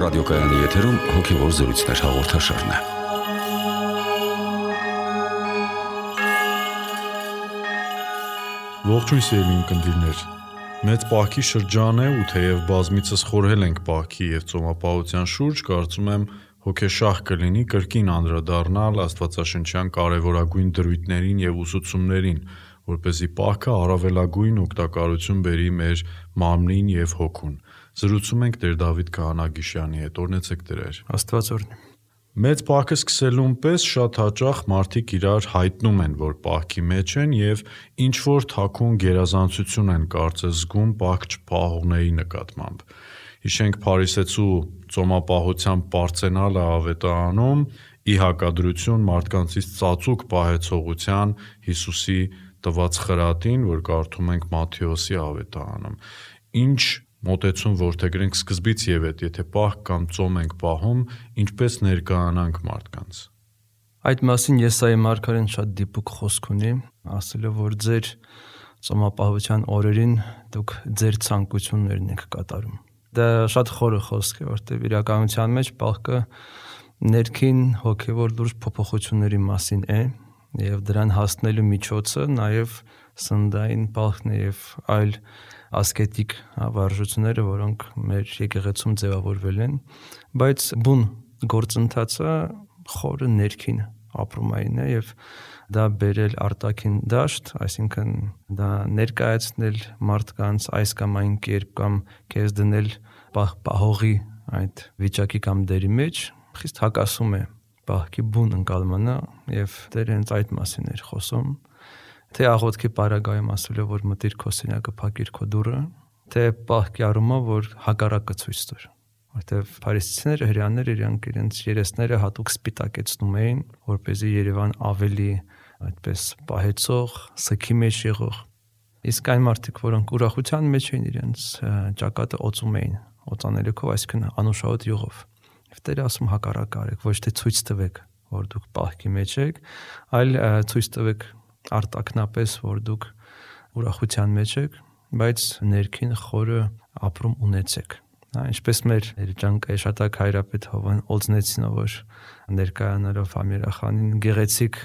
ռադիոկայանի եթերում հոգևոր զրույցներ հաղորդաշարն է։ Ողջույն սիրելի ունկնդիրներ։ Մեծ պահքի շրջան է ու թեև բազմիցս խորհել ենք պահքի և ծոմապահության շուրջ, կարծում եմ հոգեշահ կլինի կրկին անդրադառնալ աստվածաշնչյան կարևորագույն դրույթներին և ուսուցումներին, որպեսզի պահքը առավելագույն օգտակարություն բերի մեր մարմնին և հոգուն։ Զրուցում ենք Տեր Դավիթ Քահանագիշյանի հետ, օրհնեցեք Տեր։ Աստված օրհնի։ Մեծ պահքը սկսելուն պես շատ հաճախ մարդիկ իրար հայտնում են, որ պահքի մեջ են և ինչ-որ թաքուն գերազանցություն են կարծես զգում պահք չպահողների նկատմամբ։ Հիշենք Փարիսեցու ծոմապահության պարծենալը ավետարանում ի հակադրություն մարդկանցից ծածուկ պահեցողության Հիսուսի տված խրատին, որ կարդում ենք Մատթեոսի ավետարանում։ Ինչ մոտեցում որդեգրենք սկզբից և հետ, եթե պահք կամ ծոմ ենք պահում, ինչպես ներկայանանք մարդկանց։ Այդ մասին Եսայի մարգարեն շատ դիպուկ խոսք ունի, ասելով, որ ձեր ծոմապահության օրերին դուք ձեր ցանկություններն եք կատարում։ Դա շատ խորը խոսք է, որտեղ իրականության մեջ պահքը ներքին հոգևոր լուրջ փոփոխությունների մասին է, և դրան հասնելու միջոցը նաև սննդային պահքն է և այլ ասկետիկ վարժությունները, որոնք մեր եկեղեցում ձևավորվել են, բայց բուն գործընթացը խորը ներքին ապրումային է և դա բերել արտաքին դաշտ, այսինքն դա ներկայացնել մարդկանց այս կամ այն կերպ կամ քեզ դնել պահողի այդ վիճակի կամ դերի մեջ, խիստ հակասում է պահքի բուն ընկալմանը և Տերը հենց այդ մասին էր խոսում, թե աղոթքի պարագայում ասել է, որ մտիր քո սենյակը, փակիր քո դուռը, թե պահքի առումով, որ հակառակը ցույց տուր, որտեղ փարիսեցիները, հրեաները իրենց երեսները հատուկ սպիտակեցնում էին, որպեսզի Երևան ավելի այդպես պահեցող, սգի մեջ եղող։ Իսկ այն մարդիկ, որոնք ուրախության մեջ էին, իրենց ճակատը օծում էին, օծանելիքով, այսինքն անուշահոտ յուղով։ Եվ Տերը ասում հակառակը արեք, ոչ թե ցույց տվեք, որ դուք պահքի մեջ եք, այլ ցույց տվեք արտաքնապես, որ դուք ուրախության մեջ եք, բայց ներքին խորը ապրում ունեցեք։ Ինչպես մեր երջանկայաշատակ հայրապետ Հովան Օձնեցինը, որ ներկայանալով Ամիրախանին գեղեցիկ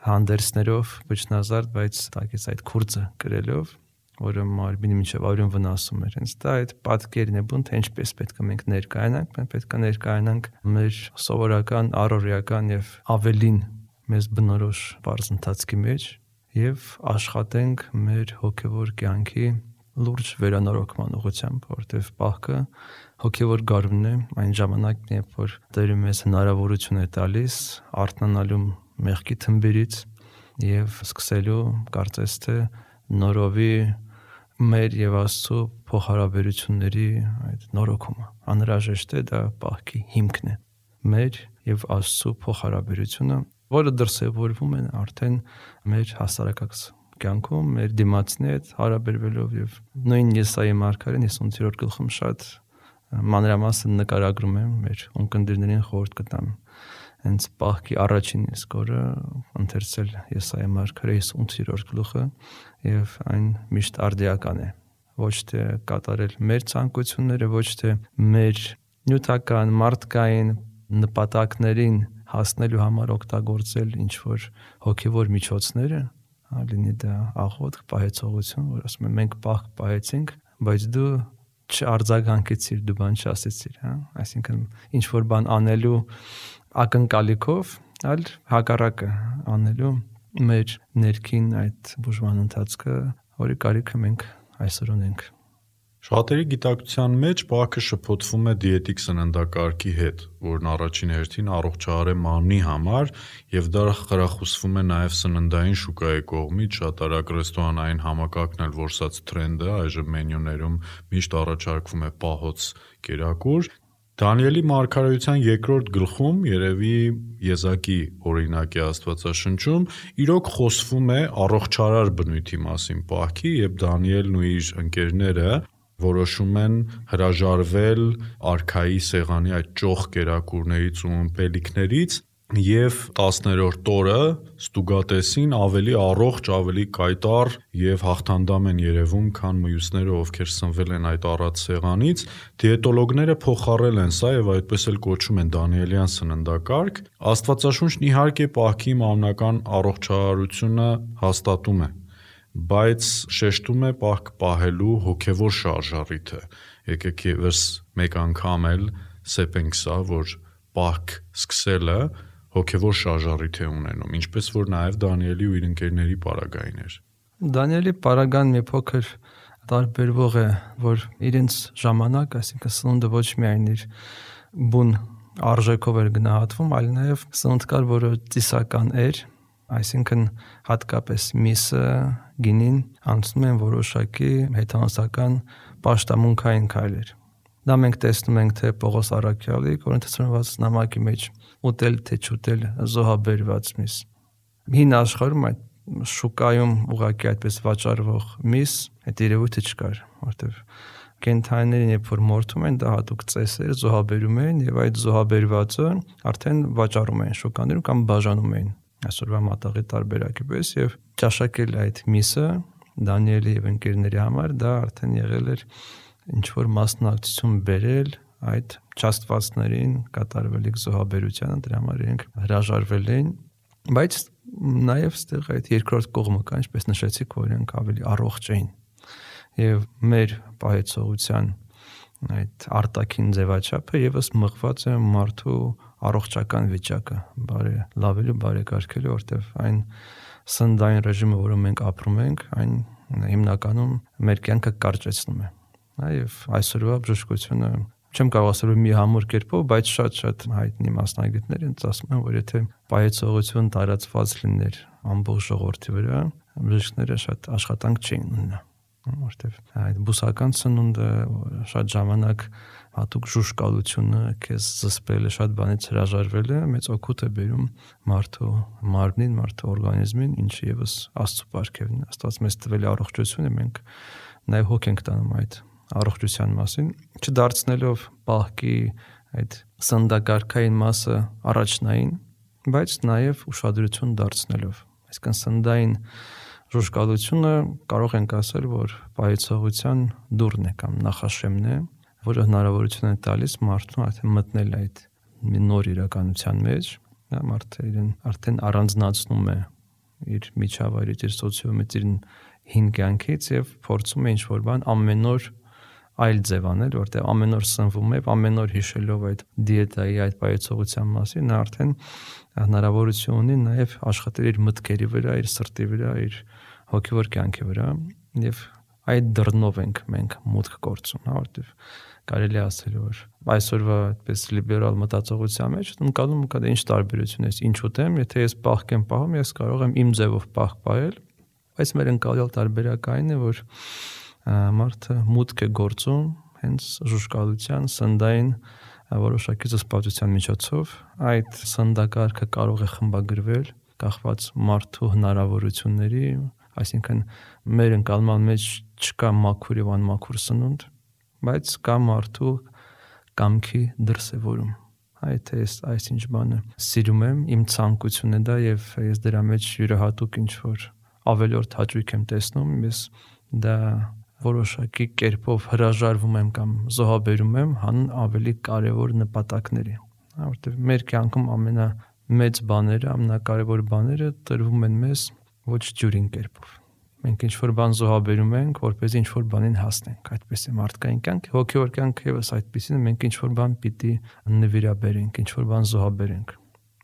հանդերձներով բջնազարդ, բայց տակից այդ քուրձը կրելով, որը մարմինի մինչև արյուն վնասում էր, հենց դա այդ պատկերն է բուն, թե ինչպես պետք է մենք ներկայանանք, մենք պետք է ներկայանանք մեր սովորական, առօրեական եւ ավելին մեզ բնորոշ բարձ ընթացքի մեջ եւ աշխատենք մեր հոգեվոր կյանքի լուրջ վերանորոգման ուղղությամբ, որտեղ պահքը հոգևոր գարունն է, այն ժամանակն է, երբ որ Տերը մեզ հնարավորություն է տալիս արթնանալու մեղքի թմբիրից եւ սկսելու կարծես թե նորովի մեր եւ Աստծո փոխհարաբերությունների այդ նորոգումը։ Անհրաժեշտ է, դա պահքի հիմքն է։ Մեր եւ Աստծո փոխհարաբերությունը, որը դրսևորվում է արդեն մեր հասարակական կյանքում, մեր դիմացնի հետ հարաբերվելով եւ նույն Եսայի մարգարեն 58-րդ գլխում շատ մանրամասն նկարագրում է մեր ունկնդիրներին խորհուրդ կտամ հենց պահքի առաջին իսկ օրը ընթերցել Եսայի մարգարե 58-րդ գլուխը եւ այն միշտ արդիական է, ոչ թե կատարել մեր ցանկությունները, ոչ թե մեր նյութական, մարդկային նպատակներին հասնելու համար օգտագործել ինչ որ հոգեվոր միջոցները, լինի դա աղոթք, պահեցողություն, որ ասում են մենք պահք պահեցինք, բայց դու չարձագանքեցիր, դու բան չասեցիր, այսինքն ինչ որ բան անելու ակնկալիքով, այլ հակառակը անելու մեր ներքին այդ բուժման ընթացքը, որի կարիքը մենք այսօր ունենք։ Շատերի գիտակցության մեջ պահքը շփոթվում է դիետիկ սննդակարգի հետ, որն առաջին հերթին առողջարար է մարմնի համար եւ դա խրախուսվում է նաեւ սննդային շուկայի կողմից, շատ արագ ռեստորանային համակարգն էլ որսած թրենդը, այժմ մենյուներում միշտ առաջարկվում է պահոց կերակուր։ Դանիելի մարգարեության 2-րդ գլխում երևի եզակի օրինակ է Աստվածաշնչում, իրոք խոսվում է առողջարար բնույթի մասին պահքի, եւ Դանիելն ու իր ընկերները որոշում են հրաժարվել արքայի սեղանի այդ ճոխ կերակուրներից ու ըմպելիքներից եւ 10-րդ օրը ստուգատեսին ավելի առողջ, ավելի կայտառ եւ հաղթանդամ են երևում, քան մյուսները, ովքեր սնվել են այդ առած սեղանից։ Դիետոլոգները փոխառել են սա եւ այդպես էլ կոչում են Դանիելյան սննդակարգ։ Աստվածաշունչն իհարկե պահքի մամնական առողջարարությունը հաստատում է, բայց շեշտում է պահք պահելու հոգեվոր շարժառիթը։ Եկեք եւս մեկ անգամ էլ սեպենք սա, որ պահք սկսելը հոգևոր շարժառիթ է ունենում, ինչպես որ նաև Դանիելի ու իր ընկերների պարագային էր։ Դանիելի պարագան մի փոքր տարբերվող է, որ իրենց ժամանակ, այսինքն սնունդը ոչ միայն իր բուն արժեքով էր գնահատվում, այլ նաև սնունդ կար, որը ծիսական էր, այսինքն հատկապես միսը, գինին անցնում են որոշակի հեթանոսական պաշտամունքային քայլեր։ Դա մենք տեսնում ենք թե Պողոս Առաքյալի Կորինթացիներից նամակի մեջ ուտել թե չուտել զոհաբերված միս։ Հին աշխարհում այդ շուկայում ուղղակի այդպես վաճառվող միս այդ երևույթը չկար, որտեղ կենթանիներին երբ որ մորթում են, դա հատուկ ծեսեր զոհաբերում են եւ այդ զոհաբերվածը արդեն վաճառում են շուկաներում կամ բաժանում են այսօրվա մատաղի տարբերակի պես եւ ճաշակել այդ միսը Դանիելի եւ ընկերների համար դա արդեն եղել էր ինչ որ մասնակցություն բերել այդ չաստվածներին կատարվելիք զոհաբերությանը, դրա համար իրենք հրաժարվել էին, բայց նաև ստեղ այդ երկրորդ կողմը կա, ինչպես նշեցիք, որ իրենք ավելի առողջ էին եւ մեր պահեցողության այդ արտաքին ձևաչափը եւս մղված է մարդու առողջական վիճակը, լավելու, բարեկարգելու, որտեղ այն սննդային ռեժիմը, որում մենք ապրում ենք, այն հիմնականում մեր կյանքը կարճեցնում է։ Եվ այսօրվա բժշկությունը չեմ կարող ասել մի համուր կերպով, բայց շատ հայտնի մասնագետներ են ասում են, որ եթե պահեցողություն տարածված լիներ ամբողջ ժողովրդի վրա, բժիշկները շատ աշխատանք չէին ունենա, որտեղ այդ բուսական սնունդը շատ ժամանակ հատուկ ժուժկալությունը, քեզ զսպելը, շատ բանից հրաժարվելը մեծ օգուտ է բերում մարդու մարմնին, մարդու օրգանիզմին, ինչը եւս Աստծո պարգևն է։ Աստված մեզ տվել է առողջությունը, մենք նաեւ հոգ ենք տանում այդ առողջության մասին, չդարձնելով պահքի այդ սննդակարգային մասը առաջնային, բայց նաև ուշադրություն դարձնելով։ Այսինքն սննդային ժուժկալությունը կարող ենք ասել, որ պահեցողության դուռն է կամ նախաշեմն է, որը հնարավորություն է տալիս մարդուն արդեն մտնել այդ մի նոր իրականության մեջ, մարդը իրեն արդեն առանձնացնում է իր միջավայրից, իր սոցիումից, իր հին կյանքից եւ փորձում է ինչ-որ բան ամեն օր այլ ձև անել, որտեղ ամեն օր սնվում է, ամեն օր հիշելով այդ դիետայի, այդ պահեցողության մասին, նա արդեն հնարավորություն ունի նաև աշխատել իր մտքերի վրա, իր սրտի վրա, իր հոգևոր կյանքի վրա եւ այդ դռնով ենք մենք մուտք գործում, որտեղ կարելի ասել որ այսօրվա այդպես լիբերալ մտածողության մեջ ընկալում կա ինչ տարբերություն է, ինչ ուտեմ, եթե ես պահք եմ պահում, ես կարող եմ իմ ձևով պահք պահել, բայց մեր ընկալյալ տարբերակային է, որ մարդը մուտք է գործում հենց ժուժկալության, սննդային որոշակի զսպվածության միջոցով, այդ սննդակարգը կարող է խմբագրվել կախված մարդու հնարավորությունների, այսինքն մեր ընկալման մեջ չկա մաքուր եւ անմաքուր սնունդ, բայց կա մարդու կամքի դրսևորում։ Այդ է այսինչ բանը սիրում եմ, իմ ցանկությունն է դա եւ ես դրա մեջ յուրահատուկ ինչ որ ավելորդ հաճույք եմ տեսնում, ես դա որոշակի կերպով հրաժարվում եմ կամ զոհաբերում եմ հանուն ավելի կարևոր նպատակների, որտեղ մեր կյանքում ամենամեծ բաները, ամենակարևոր բաները տրվում են մեզ ոչ ջուրին կերպով։ Մենք ինչ-որ բան զոհաբերում ենք, որպեսզի ինչ-որ բանին հասնենք, այդպես է մարդկային կյանքը, հոգևոր կյանքը եւս այդպեսին է, մենք ինչ-որ բան պիտի նվիրաբերենք, ինչ-որ բան զոհաբերենք։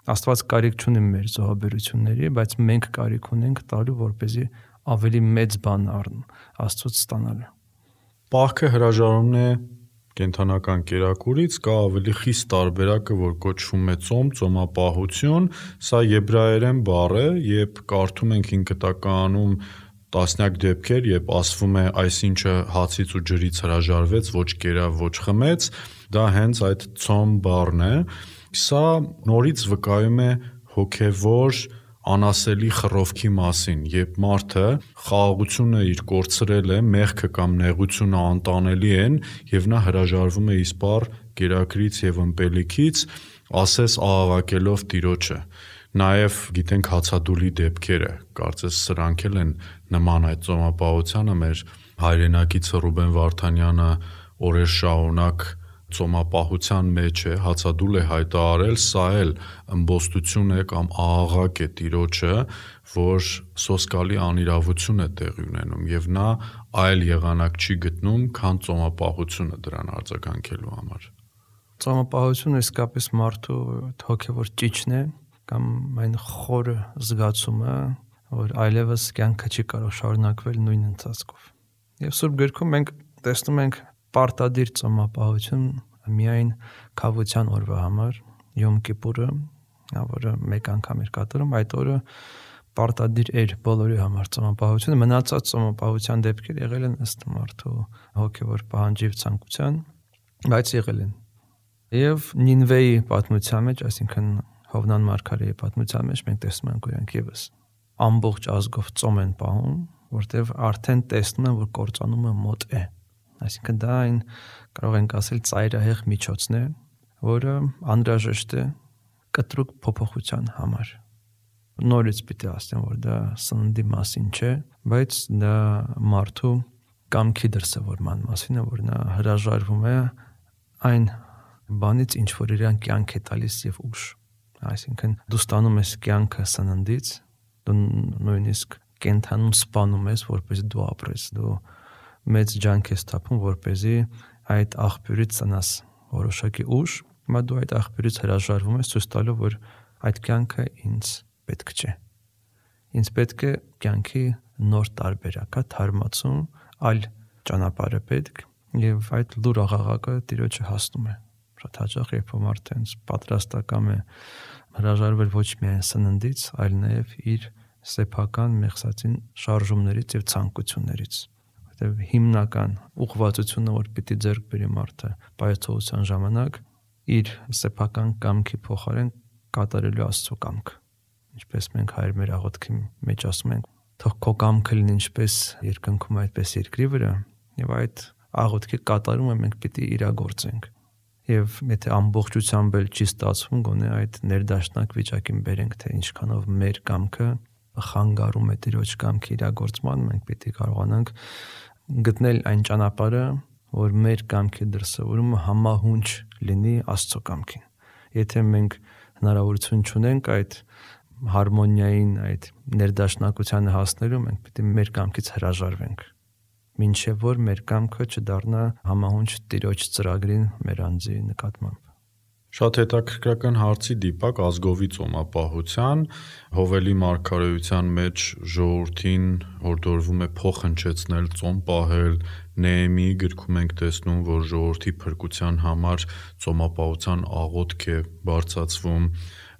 Աստված կարիք չունի մեր զոհաբերությունների, բայց մենք կարիք ունենք տալու, որպեսզի ավելի մեծ բան Աստծուց ստանալը։ Պահքը հրաժարումն է կենթանական կերակուրից, կա ավելի խիստ տարբերակը, որ կոչվում է ծոմ, ծոմապահություն, սա եբրայերեն բառ է, երբ կարդում ենք 5 կտականում տասնյակ դեպքեր, երբ ասվում է այսինչը հացից ու ջրից հրաժարվեց, ոչ կերավ, ոչ խմեց, դա հենց այդ ծոմ բառն է, սա նորից վկայում է հոգևոր անասելի խռովքի մասին, երբ մարդը խաղաղությունը իր կորցրել է, մեղքը կամ նեղությունը անտանելի են եւ նա հրաժարվում է իսպառ կերակրից եւ ըմպելիքից, ասես աղաղակելով Տիրոջը։ Նաև գիտենք հացադուլի դեպքերը, կարծես սրանք են նման այդ ծոմապահությանը մեր հայրենակիցը Ռուբեն Վարդանյանը օրեր շարունակ ծոմապահության մեջ է, հացադուլ է հայտարարել, սա էլ ըմբոստություն է կամ աղաղակ է Տիրոջը, որ սոսկալի անիրավություն է տեղի ունենում եւ նա այլ եղանակ չի գտնում, քան ծոմապահությունը դրան արձագանքելու համար։ Ծոմապահությունը իսկապես մարդու հոգևոր ճիճն է կամ այն խորը զգացումը, որ այլևս կյանքը չի կարող շարունակվել նույն ընթացքով։ Եվ Սուրբ Գրքում մենք տեսնում ենք պարտադիր ծոմապահություն միայն քավության օրվա համար, Յոմ Կիպուրը, որը մեկ անգամ էր կատարում, այդ օրը պարտադիր էր բոլորի համար ծոմապահությունը, մնացած ծոմապահության դեպքեր եղել են ըստ մարդու հոգևոր պահանջի և ցանկության, բայց եղել են։ Եվ Նինվեի պատմության մեջ, այսինքն Հովնան մարգարեի պատմության մեջ մենք տեսնում ենք, որ իրենք եւս ամբողջ ազգով ծոմ են պահում, որտեղ արդեն տեսնում են, որ կործանումը մոտ է։ Այսինքն դա այն կարող ենք ասել ծայրահեղ միջոցն է, որը անհրաժեշտ է կտրուկ փոփոխության համար։ Նորից պիտի ասեմ, որ դա սննդի մասին չէ, բայց դա մարդու կամքի դրսևորման մասին է, որ նա հրաժարվում է այն բանից, ինչ որ իրան կյանք է տալիս եւ ուժ։ Այսինքն դու ստանում ես կյանքը սննդից, դու նույնիսկ կենթանում սպանում ես, որպես դու ապրես, դու մեծ ջանք ես թափում, որպեսզի այդ աղբյուրից ծնաս որոշակի ուժ, հիմա դու այդ աղբյուրից հրաժարվում ես, ցույց տալով, որ այդ կյանքը ինձ պետք չէ։ Ինձ պետք է կյանքի նոր տարբերակ, թարմացում, այլ ճանապարհ է պետք, եւ այդ լուր աղաղակը Տիրոջը հասնում է։ Շատ հաճախ երբ մարդը ինձ պատրաստական է հրաժարվել ոչ միայն սննդից, այլ նաև իր սեփական մեղսածին շարժումներից եւ ցանկություններից, որտեղ հիմնական ուղղվածությունը, որ պիտի ձեռք բերի մարդը պայծողության ժամանակ, իր սեփական կամքի փոխարեն կատարելու Աստծո կամքը։ Ինչպես մենք հայր մեր աղոթքի մեջ ասում ենք, թող քո կամքը լինի ինչպես երկնքում, այդպես երկրի վրա, եւ այդ աղոթքի կատարումը մենք պիտի իրագործենք։ Եվ եթե ամբողջությամբ էլ չի ստացվում, գոնե այդ ներդաշնակ վիճակին բերենք, թե ինչքանով մեր կամքը խանգարում է Տիրոջ կամքի իրագործման, մենք պիտի կարողանանք գտնել այն ճանապարհը, որ մեր կամքի դրսևորումը համահունչ լինի Աստծո կամքին։ Եթե մենք հնարավորություն չունենք այդ հարմոնիային, այդ ներդաշնակությանը հասնելու, մենք պիտի մեր կամքից հրաժարվենք, մինչև որ մեր կամքը չդառնա համահունչ Տիրոջ ծրագրին մեր անձի նկատմամբ։ Շատ հետաքրքրական հարցի դիպակ ազգովի ծոմապահության, Հովելի մարգարեության մեջ ժողովրդին հորդորվում է փոխհնչեցնել, ծոմ պահել, Նեեմիի գրքում ենք տեսնում, որ ժողովրդի փրկության համար ծոմապահության աղոթք է բարձրացվում,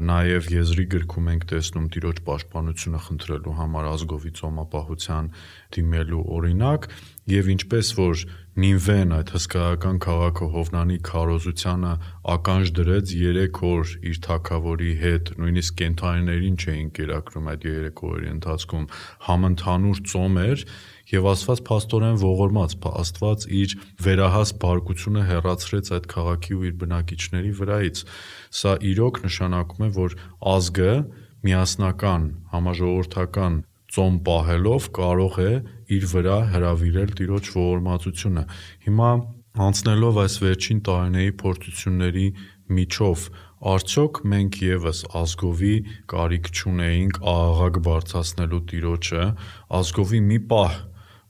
նաև Եզրի գրքում ենք տեսնում Տիրոջ պաշտպանությունը խնդրելու համար ազգովի ծոմապահության դիմելու օրինակ, եւ ինչպես որ Նինվեն այդ հսկայական քաղաքը Հովնանի քարոզությանը ականջ դրեց 3 օր իր թագավորի հետ, նույնիսկ կենդանիներին չէին կերակրում այդ 3 օրերի ընթացքում, համընդհանուր ծոմ էր եւ Աստված փաստորեն ողորմած, Աստված իր վերահաս բարկությունը հեռացրեց այդ քաղաքի ու իր բնակիչների վրայից։ Սա իրոք նշանակում է, որ ազգը միասնական, համաժողովրդական ծոմ պահելով կարող է իր վրա հրավիրել Տիրոջ ողորմածությունը։ Հիմա անցնելով այս վերջին տարիների փորձությունների միջով, արդյոք մենք եւս ազգովի կարիք չունեինք աղաղակ բարձրացնելու Տիրոջը, ազգովի մի պահ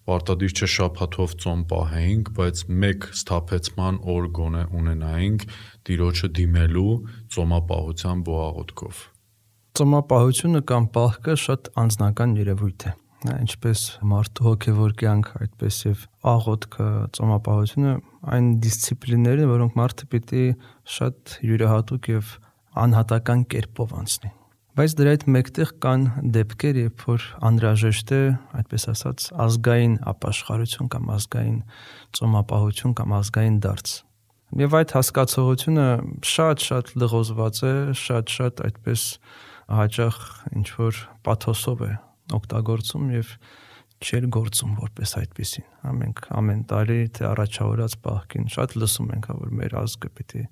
պարտադիր չէ շաբաթով ծոմ պահեինք, բայց մեկ սթափեցման օր գոնե ունենայինք Տիրոջը դիմելու ծոմապահությամբ ու աղոթքով։ Ծոմապահությունը կամ պահքը շատ անձնական երևույթ է։ Ինչպես մարդու հոգևոր կյանք, այդպես եւ աղոթքը, ծոմապահությունը այն դիսցիպլիններ են, որոնք մարդը պիտի շատ յուրահատուկ եւ անհատական կերպով անցնի։ Բայց դրա հետ մեկտեղ կան դեպքեր, երբ որ անհրաժեշտ է, այդպես ասած, ազգային ապաշխարություն կամ ազգային ծոմապահություն կամ ազգային դարձ։ Եվ այդ հասկացողությունը շատ լղոզված է, շատ այդպես հաճախ ինչ որ պաթոսով է օգտագործում եւ չել գործում որպես այդպեսին։ Մենք ամեն տարի թե առաջավորած պահքին շատ լսում ենք, որ մեր ազգը պիտի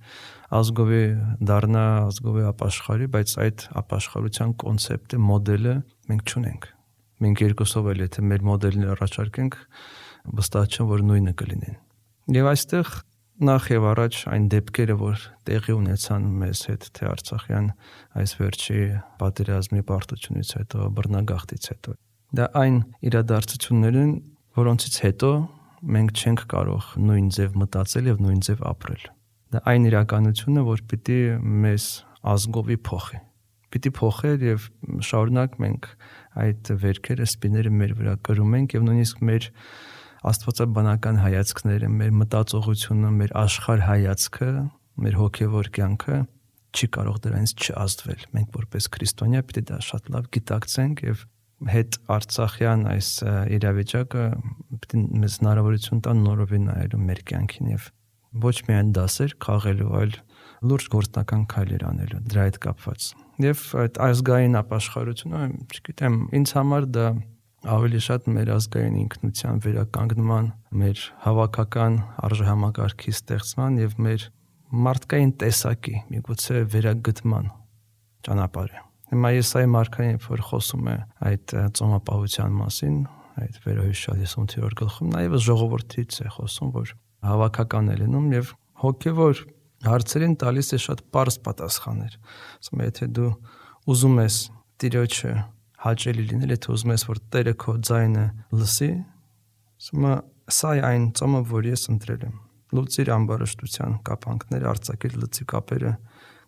ազգովի դառնա, ազգովի ապաշխարի, բայց այդ ապաշխարության կոնցեպտը, մոդելը մենք չունենք։ Մենք երկուսով էլ եթե մեր մոդելն առաջարկենք, վստահ չեմ, որ նույնը կլինեն։ Եվ այստեղ նախ եւ առաջ այն դեպքերը, որ տեղի ունեցան մեզ հետ, թե Արցախյան այս վերջի պատերազմի պարտությունից հետո, բռնագաղթից հետո, դա այն իրադարձություններն, որոնցից հետո մենք չենք կարող նույն ձև մտածել եւ նույն ձև ապրել։ Դա այն իրականությունը, որ պիտի մեզ ազգովի փոխի։ Պիտի փոխել եւ շարունակ մենք այդ վերքերը, սպիները մեր վրա կրում ենք եւ նույնիսկ մեր աստվածաբանական հայացքները, մեր մտածողությունը, մեր աշխարհ հայացքը, մեր հոգևոր կյանքը չի կարող դրանից չազդվել։ Մենք որպես քրիստոնյա պիտի դա շատ լավ գիտակցենք եւ հետ արցախյան այս իրավիճակը պիտի մեզ հնարավորություն տա նորովի նայելու մեր կյանքին եւ ոչ միայն դասեր քաղելու, այլ լուրջ գործնական քայլեր անելու դրա հետ կապված։ Եվ այդ ազգային ապաշխարությունը, չգիտեմ, ինձ համար դա ավելի շատ մեր ազգային ինքնության վերականգնման, մեր հավաքական արժեհամակարգի ստեղծման եւ մեր մարդկային տեսակի միգուցե վերագտման ճանապարհը։ Հիմա Եսայի մարգարեն, որ խոսում է այդ ծոմապահության մասին, այդ վերահիշալ 58-րդ գլխում, նաեւ ժողովրդից է խոսում, որ հավաքական է լինում եւ հոգեվոր հարցերին տալիս է շատ պարզ պատասխաններ։ Ասում է, եթե դու ուզում ես Տիրոջը հաճելի լինել, եթե ուզում ես, որ Տերը քո ձայնը լսի, ասում է, սա է այն ծոմը, որ ես ընտրել եմ։ Լուծիր ամբարշտության կապանքները, արձակիր լծի կապերը,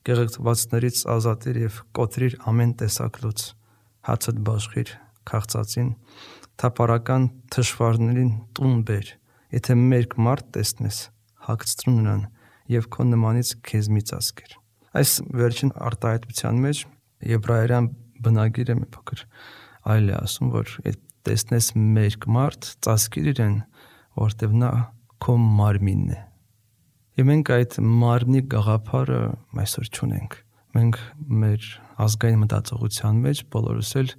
գեղեցվածներից ազատիր եւ կոտրիր ամեն տեսակ լուծ, հացդ բաշխիր քաղցածին, թափառական թշվառներին տուն բեր, եթե մերկ մարդ տեսնես, հագցրու նրան եւ քո նմանից քեզ մի ծածկիր։ Այս վերջին արտահայտության մեջ եբրայերեն բնագիրը մի փոքր այլ է ասում, որ տեսնես մերկ մարդ, ծածկիր իրեն, որտեվ նա քո մարմինն է։ Եվ մենք այդ մարմնի գաղափարը այսօր չունենք։ Մենք մեր ազգային մտածողության մեջ բոլորս էլ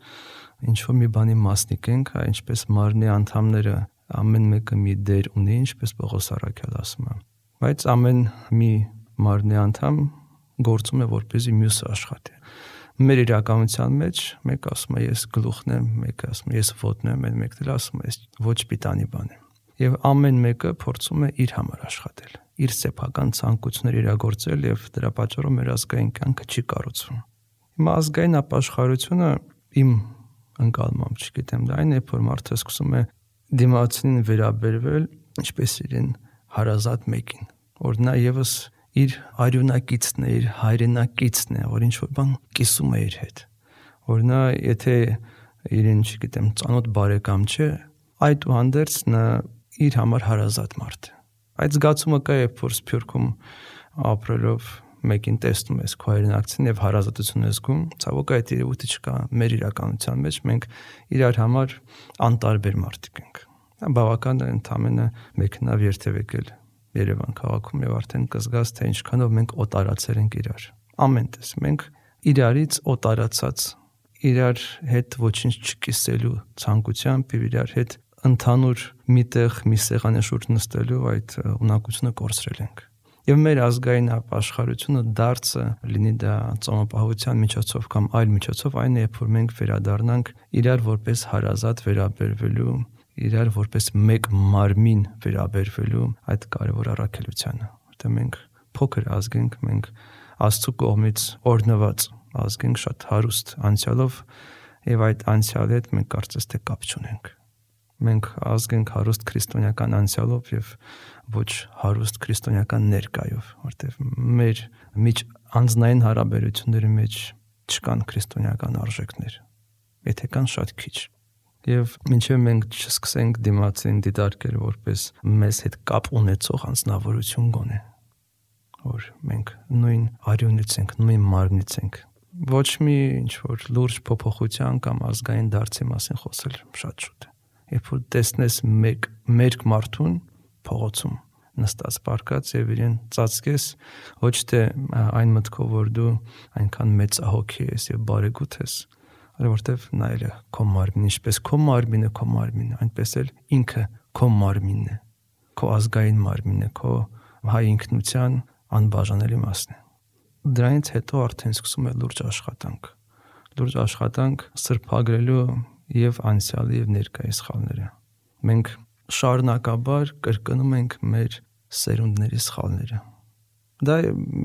ինչ-որ մի բանի մասնիկ ենք, ինչպես մարմնի անդամները ամեն մեկը մի դեր ունի, ինչպես Պողոս առաքյալը ասում է։ Բայց ամեն մի մարմնի անդամ գործում է որպեսզի մյուսը աշխատի։ Մեր իրականության մեջ մեկը ասում է ես գլուխն եմ, մեկը ասում է ես ոտն եմ, մեկը էլ ասում է ես ոչ պիտանի բան եմ։ Եվ ամեն մեկը փորձում է իր համար աշխատել, իր սեփական ցանկությունները իրագործել եւ դրա պատճառով մեր ազգային կյանքը չի կառուցվում։ Հիմա ազգային ապաշխարությունը իմ ընկալմամբ, չգիտեմ, դա այն է, որ մարդը սկսում է դիմացին վերաբերվել ինչպես իրեն հարազատ մեկին, որ նա եւս իր արյունակիցն է, իր հայրենակիցն է, որ ինչ-որ բան կիսում է իր հետ, որ նա եթե իրեն, չգիտեմ, ծանոթ բարեկամ չէ, այդուհանդերձ նա իր համար հարազատ մարդ է։ Այդ զգացումը կա, երբ որ Սփյուռքում ապրելով մեկին տեսնում ես քո հայրենակցին եւ հարազատություն ես զգում, ցավոք այդ երևույթը չկա մեր իրականության մեջ, մենք իրար համար անտարբեր մարդիկ ենք։ Բավական է ընդամենը մեքենավ երթև եկել Երևան քաղաքում եւ արդեն կզգաս, թե ինչքանով մենք օտարացել ենք իրար։ Ամեն տես մենք իրարից օտարացած, իրար հետ ոչինչ չկիսելու ցանկությամբ եւ իրար հետ ընդհանուր միտեղ մի սեղանի շուրջ նստելու այդ ունակությունը կորցրել ենք։ Եվ մեր ազգային ապաշխարությունը դարձը լինի դա ծոմապահության միջոցով կամ այլ միջոցով այն է, երբ որ մենք վերադառնանք իրար որպես հարազատ վերաբերվելու, իրար որպես մեկ մարմին վերաբերվելու այդ կարևոր առաքելությանը, որտեղ մենք փոքր ազգ ենք, մենք Աստծո կողմից օրհնված ազգ ենք, շատ հարուստ անցյալով եւ այդ անցյալի հետ մենք կարծես թե կապ չունենք։ Մենք ազգ ենք հարուստ քրիստոնեական անցյալով եւ ոչ հարուստ քրիստոնեական ներկայով, որտեղ մեր միջ անձնային հարաբերությունների մեջ չկան քրիստոնեական արժեքներ, եթե կան շատ քիչ։ Եվ մինչև մենք չսկսենք դիմացին դիտարկել որպես մեզ հետ կապ ունեցող անձնավորություն գոնե, որ մենք նույն արյունից ենք, նույն մարմնից ենք, ոչ մի ինչ-որ լուրջ փոփոխության կամ ազգային դարձի մասին խոսել շատ շուտ է։ Երբ որ տեսնես մերկ մարդուն փողոցում, նստած պարկած եւ իրեն ծածկես ոչ թե այն մտքով որ դու այնքան մեծահոգի ես եւ բարեգութ ես, այլ որտեվ նայել է քո մարմին, ինչպես քո մարմինը, այնպես էլ ինքը քո մարմինն է, քո ազգային մարմինն է, քո հայ ինքնության անբաժանելի մասն է։ Դրանից հետո արդեն սկսում է լուրջ աշխատանք սրբագրելու եւ անցյալի եւ ներկայի սխալները։ Մենք շարունակաբար կրկնում ենք մեր սերունդների սխալները։ Դա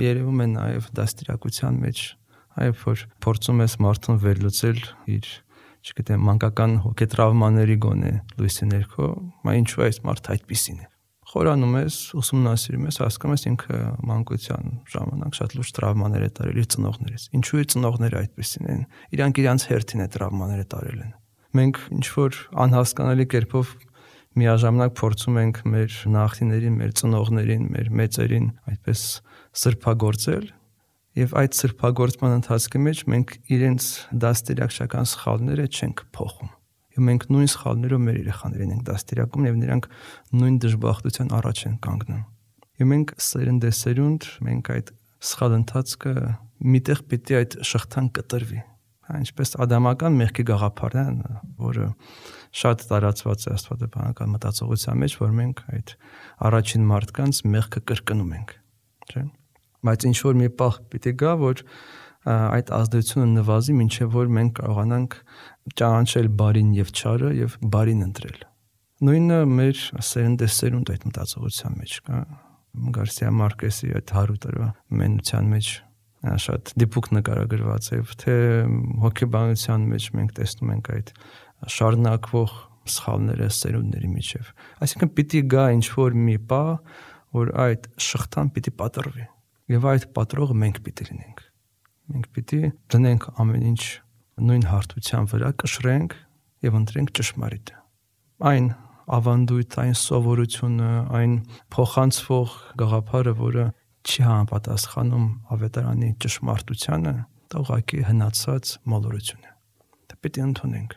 երևում է նաեւ դաստիարակության մեջ, այլ որ փորձում ես մարդուն վերլուծել իր, չգիտեմ, մանկական հոգետրավմաների գոնե լույսի ներքո, մա ինչու է այս մարդը այդպիսին է։ Խորանում ես, ուսումնասիրում ես, հասկանում ես ինքը մանկության ժամանակ շատ լուրջ տրավմաներ է տարել իր ծնողներից։ Ինչու է ծնողները այդպիսին են։ Իրանք իրանց հերթին է տրավմաները տարել են։ Մենք ինչ որ անհասկանալի կերպով միաժամանակ փորձում ենք մեր նախնիներին, մեր ծնողներին, մեր մեծերին այդպես սրբագործել, եւ այդ սրբագործման ընթացքի մեջ մենք իրենց դաստիարակչական սխալները չենք փոխում։ Եվ մենք նույն սխալներով մեր երեխաներին ենք դաստիարակում եւ նրանք նույն դժբախտության առաջ են կանգնում։ Եվ մենք սերնդեսերունդ մենք այդ սխալ ընթացքը միտեղ պիտի այդ շղթան կտրվի։ Ինչպես ադամական մեղքի գաղափարն է, որը շատ տարածված է աստվածաբանական մտածողության մեջ, որ մենք այդ առաջին մարդկանց մեղքը կրկնում ենք, չէ՞։ Բայց ինչ որ մի պահ պիտի գա, որ այդ ազդեցությունը նվազի, մինչև որ մենք կարողանանք ճանաչել բարին եւ չարը եւ բարին ընտրել։ Նույնը մեր սերնդեսերունդ այդ մտածողության մեջ կա։ Գարսիա Մարկեսի այդ 100 տարվա մենության մեջ շատ դիպուկ նկարագրված է, թե հոգեբանության մեջ մենք տեսնում ենք այդ շարունակվող սխալները սերունդների միջև։ Այսինքն պիտի գա ինչ-որ մի պահ, որ այդ շղթան պիտի պատռվի, եւ այդ պատրողը մենք պիտի լինենք։ Մենք պիտի դնենք ամեն ինչ նույն հարթության վրա, կշռենք եւ ընտրենք ճշմարիտը։ Այն ավանդույթ, այն սովորությունը, այն փոխանցվող գաղափարը, որը չի համապատասխանում ավետարանի ճշմարտությանը, դա ուղղակի հնացած մոլորություն է։ Դա պիտի ընդունենք։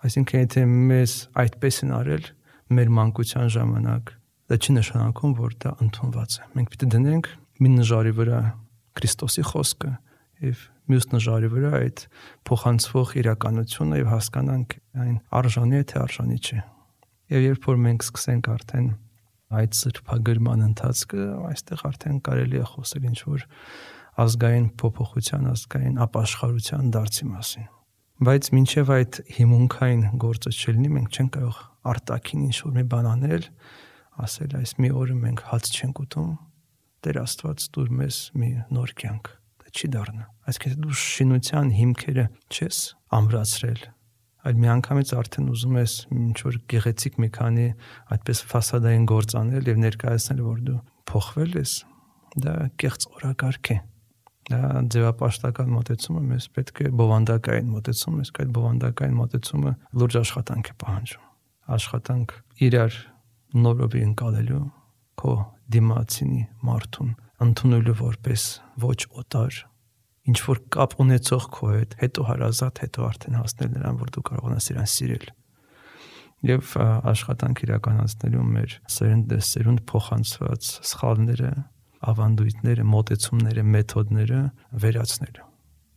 Այսինքն եթե մեզ այդպես են արել մեր մանկության ժամանակ, դա չի նշանակում, որ դա ընդունված է։ Մենք պիտի դնենք մի նժարի վրա Քրիստոսի խոսքը եւ մյուս նժարի վրա այդ փոխանցվող իրականությունը եւ հասկանանք այն արժանի է թե արժանի չէ։ Եվ երբ որ մենք սկսենք արդեն այդ սրբագրման ընթացքը, այստեղ արդեն կարելի է խոսել ինչ որ ազգային փոփոխության, ազգային ապաշխարության դարձի մասին։ Բայց մինչև այդ հիմունքային գործը չլինի, մենք չենք կարող արտաքին ինչ որ մի բան անել, ասել այս մի օրը մենք հաց չենք ուտում, Տեր Աստված դուր մեզ մի նոր կյանք։ Դա չի դառնա։ Այսինքն դու շինության հիմքերը չես ամրացրել, այլ միանգամից արդեն ուզում ես ինչ որ գեղեցիկ մի քանի այդպես ֆասադային գործ անել եւ ներկայացնել, որ դու փոխվել ես, դա կեղծ օրակարգ է։ Դա ձևապաշտական մոտեցումը մեզ պետք է բովանդակային մոտեցում, իսկ այդ բովանդակային մոտեցումը լուրջ աշխատանք է պահանջում։ Աշխատանք իրար նորովի ընկալելու, քո դիմացինի մարդուն ընդունելու որպես ոչ օտար, ինչ որ կապ ունեցող քո հետ, հետո հարազատ, հետո արդեն հասնել նրան, որ դու կարողանաս իրան սիրել։ Եվ աշխատանք իրականացնելու մեր սերունդ փոխանցված սխալները, ավանդույթները, մոտեցումները, մեթոդները վերացնելու։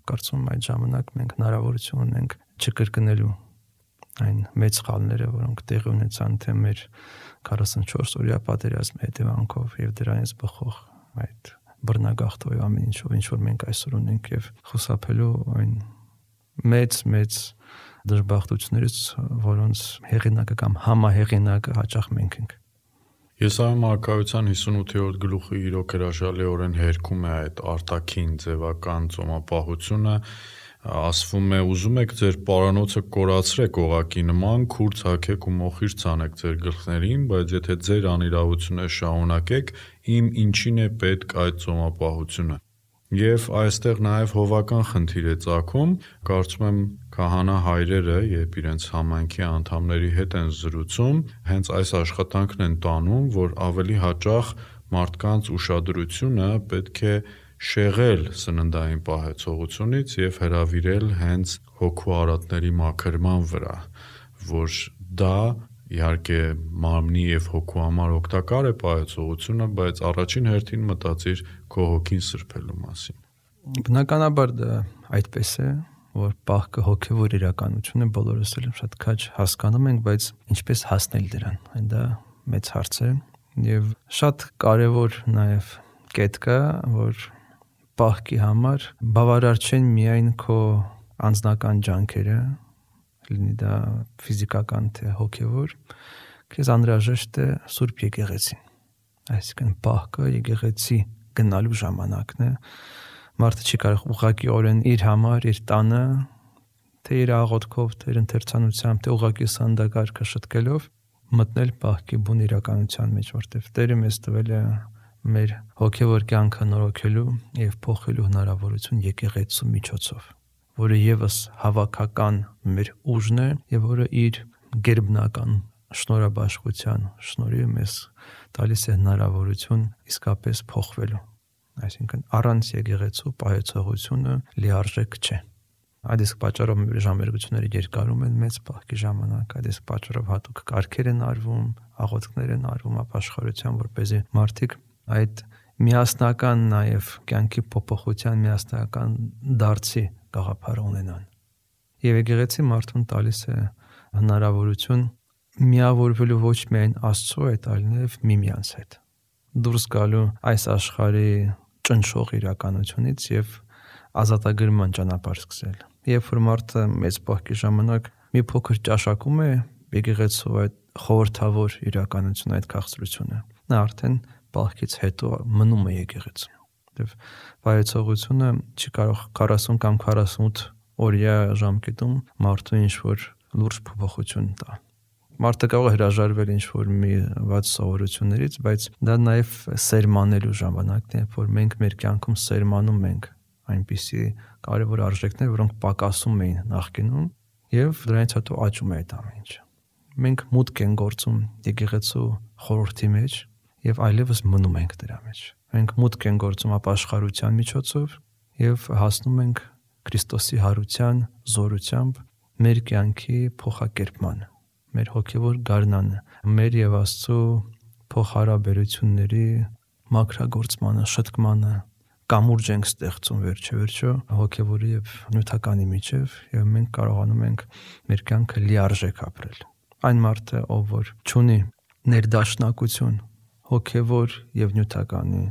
Կարծում եմ այդ ժամանակ մենք հնարավորություն ունենք չկրկնելու այն մեծ սխալները, որոնք տեղի ունեցան թե մեր 44-օրյա պատերազմի հետևանքով եւ դրանից բխող այդ բռնագաղթով ամեն ինչով, ինչ որ մենք այսօր ունենք եւ խուսափելու այն մեծ դժբախտություններից, որոնց հեղինակը կամ համահեղինակը հաճախ մենք ենք։ Եսայիա մարգարեության 58-րդ գլուխը իրոք հրաշալիորեն հերքում է այդ արտաքին ձևական ծոմապահությունը, ասվում է ուզում եք ձեր պարանոցը կորացրեք օղակի նման, քուր ցակեք ու մոխիր ցանեք ձեր գլխներին, բայց եթե ձեր անիրավությունը շարունակեք, իմ ինչին է պետք այդ ծոմապահությունը։ Եվ այստեղ նաև հովական խնդիր է ծագում, կարծում եմ քահանա հայրերը, երբ իրենց համայնքի անդամների հետ են զրուցում, հենց այս աշխատանքն են տանում, որ ավելի հաճախ մարդկանց ուշադրությունը պետք է շեղել սննդային պահեցողությունից եւ հրավիրել հենց հոգու արատների մաքրման վրա, որ դա իհարկե մարմնի եւ հոգու համար օգտակար է պահեցողությունը, բայց առաջին հերթին մտածիր քո հոգին սրբելու մասին։ Բնականաբար դա այդպես է, որ պահքը հոգևոր իրականություն է, բոլորս էլ շատ քաջ հասկանում ենք, բայց ինչպես հասնել դրան, այն դա մեծ հարց է եւ շատ կարեւոր նաեւ կետ կա, որ պահքի համար բավարար չեն միայն քո անձնական ջանքերը, լինի դա ֆիզիկական թե հոգևոր, քեզ անհրաժեշտ է Սուրբ Եկեղեցին։ Այսինքն պահքը եկեղեցի գնալու ժամանակն է։ Մարդը չի կարող ուղղակիորեն իր համար, իր տանը, թե իր աղոթքով, թե իր ընթերցանությամբ, թե ուղղակի սանդակարգը շտկելով մտնել պահքի բուն իրականության մեջ, որտեղ Տերը մեզ տվել է մեր հոգևոր կյանքը նորոգելու եւ փոխելու հնարավորություն եկեղեցու միջոցով, որը եւս հավաքական մեր ուժն է եւ որը իր գերբնական շնորհաբաշխության շնորհիվ մեզ տալիս է հնարավորություն իսկապես փոխվելու։ Այսինքն առանց եկեղեցու պահեցողությունը լիարժեք չէ։ Այդ իսկ պատճառով ժամերգությունները երկարում են մեծ պահքի ժամանակ, այդ իսկ պատճառով հատուկ կարգեր են արվում, աղոթքներ են արվում ապաշխարության, որպեսզի մարդիկ այդ միասնական նաև կյանքի փոփոխության միասնական դարձի գաղափար ունենան։ Եվ եկեղեցի մարդուն տալիս է հնարավորություն միավորվելու ոչ միայն Աստծո հետ, այլ նաև միմյանց հետ։ Դուրս գալու այս աշխարհի ճնշող իրականությունից եւ ազատագրման ճանապարհ սկսել։ Երբ որ մարդը մեծ պահքի ժամանակ մի փոքր ճաշակում է եկեղեցու այդ խորհրդավոր իրականությունը, այդ քաղցրությունը, նա արդեն պահքից հետո մնում է եկեղեցու։ Եվ վայեցողությունը չի կարող 40 կամ 48 օրյա ժամկետում մարդու ինչ-որ լուրջ փոփոխություն տա։ Մարդը կարող է հրաժարվել ինչ-որ մի վատ սովորություններից, բայց դա նաև սերմանելու ժամանակն է, որ մենք մեր կյանքում սերմանում ենք այնպիսի կարևոր արժեքներ, որոնք պակասում էին նախկինում, եւ դրանից հետո աճում է այդ ամեն ինչը։ Մենք մուտք ենք գործում եկեղեցու խորհրդի մեջ եւ այլևս մնում ենք դրա մեջ։ Մենք մուտք ենք գործում ապաշխարության միջոցով եւ հասնում ենք Քրիստոսի հարության զորությամբ մեր կյանքի փոխակերպմանը, մեր հոգևոր գարնանը, մեր եւ Աստծո փոխհարաբերությունների մաքրագործմանը, շտկմանը, կամուրջ ենք ստեղծում վերջը հոգևորի եւ նյութականի միջև եւ մենք կարողանում ենք մեր կյանքը լիարժեք ապրել։ Այն մարդը, ով որ չունի ներդաշնակություն հոգևոր եւ նյութականի,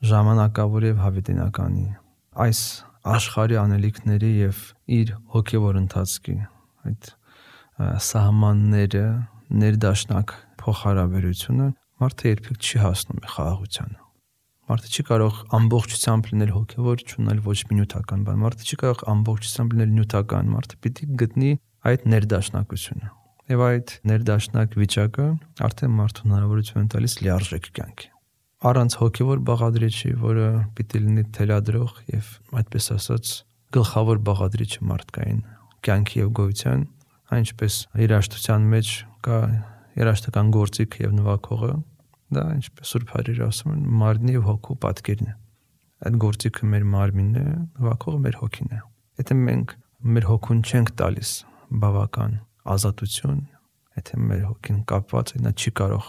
ժամանակավոր եւ հավիտենականի, այս աշխարհի անելիքների եւ իր հոգևոր ընթացքի այդ սահմանները ներդաշնակ փոխհարաբերությունը մարդը երբեք չի հասնում խաղաղությանը։ Մարդը չի կարող ամբողջությամբ լինել հոգևոր, չունենալ ոչ մի նյութական բան։ Մարդը չի կարող ամբողջությամբ լինել նյութական, մարդը պիտի գտնի այդ ներդաշնակությունը։ Եվ այդ ներդաշնակ վիճակը արդեն մարդուն հնարավորություն է տալիս լիարժեք կյանքի։ Առանց հոգևոր բաղադրիչի, որը պիտի լինի թելադրող եւ այդպես ասած գլխավոր բաղադրիչը մարդկային կյանքի եւ գոյության, այնպես երաշտության մեջ կա երաշտական գործիք եւ նվագողը, դա ինչպես Սուրբ Հայրերը ասում են, մարմնի եւ հոգու պատկերն է։ Այդ գործիքը մեր մարմինն է, նվագողը մեր հոգին է։ Եթե մենք մեր հոգուն չենք տալիս բավական ազատություն, եթե մեր հոգին կապված է, նա չի կարող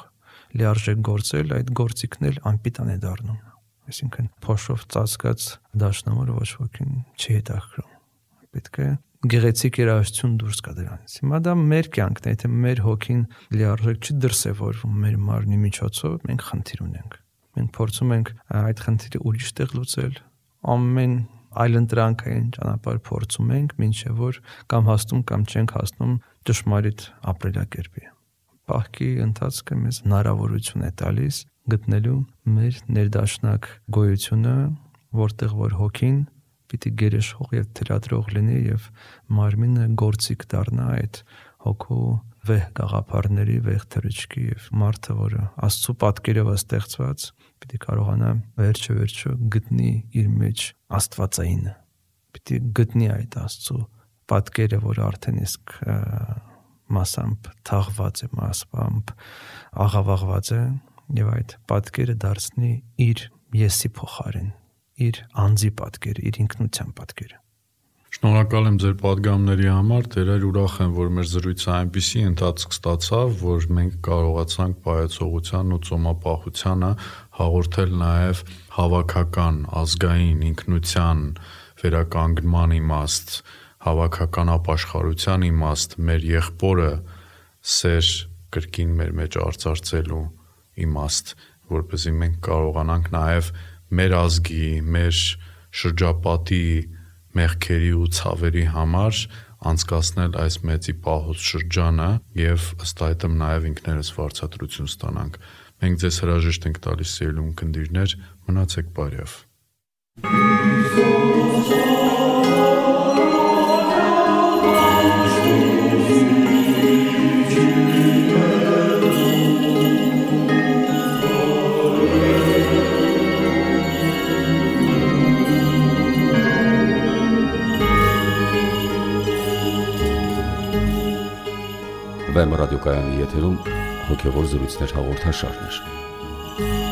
լիարժեք գործել, այդ գործիքն էլ անպիտան է դառնում։ Այսինքն փոշով ծածկած դաշնամուրը ոչ ոքին չի հետաքրում։ Պետք է գեղեցիկ երաժշտություն դուրս գա դրանից։ Հիմա դա մեր կյանքն է, եթե մեր հոգին լիարժեք չի դրսևորվում մեր մարմնի միջոցով, մենք խնդիր ունենք։ Մենք փորձում ենք այդ խնդիրը ուրիշ տեղ լուծել, ամեն այլընտրանքային ճանապարհ փորձում ենք, մինչև որ կամ հասնում կամ չենք հասնում ճշմարիտ ապրելակերպի։ Պահքի ընթացքը մեզ հնարավորություն է տալիս գտնելու մեր ներդաշնակ գոյությունը, որտեղ որ հոգին պիտի գերեշխող եւ թելադրող լինի եւ մարմինը գործիք դառնա այդ հոգու վեհ գաղափարների, վեհ թռիչքի եւ մարդը, որը Աստծո պատկերով է ստեղծված, պիտի կարողանա վերջը գտնի իր մեջ Աստվածայինը։ Պիտի գտնի այդ Աստծո պատկերը, որը արդեն իսկ մասամբ թաղված է, մասամբ աղավաղված է եւ այդ պատկերը դարձնի իր եսի փոխարեն, իր անձի պատկերը, իր ինքնության պատկերը։ Շնորհակալ եմ ձեր պատգամների համար, դերեր ուրախ եմ, որ մեր զրույցը այնպիսի ընթացք ստացավ, որ մենք կարողացանք պայծողությանն ու ծոմապահությանը հաղորդել նաև հավաքական, ազգային ինքնության վերականգնման իմաստ, հավաքական ապաշխարության իմաստ, մեր եղբորը սեր կրկին մեր մեջ արծարծելու իմաստ, որպեսզի մենք կարողանանք նաև մեր ազգի, մեր շրջապատի մեղքերի ու ցավերի համար անցկացնել այս մեծի պահոց շրջանը եւ ըստ այդմ նաեւ ինքներս վարձատրություն ստանանք։ Մենք ձեզ հրաժեշտ ենք տալիս սիրելի ունկնդիրներ, մնացեք բարյավ։ Վեմ ռադիոկայանի եթերում հոգևոր զրույցներ հաղորդաշարներ։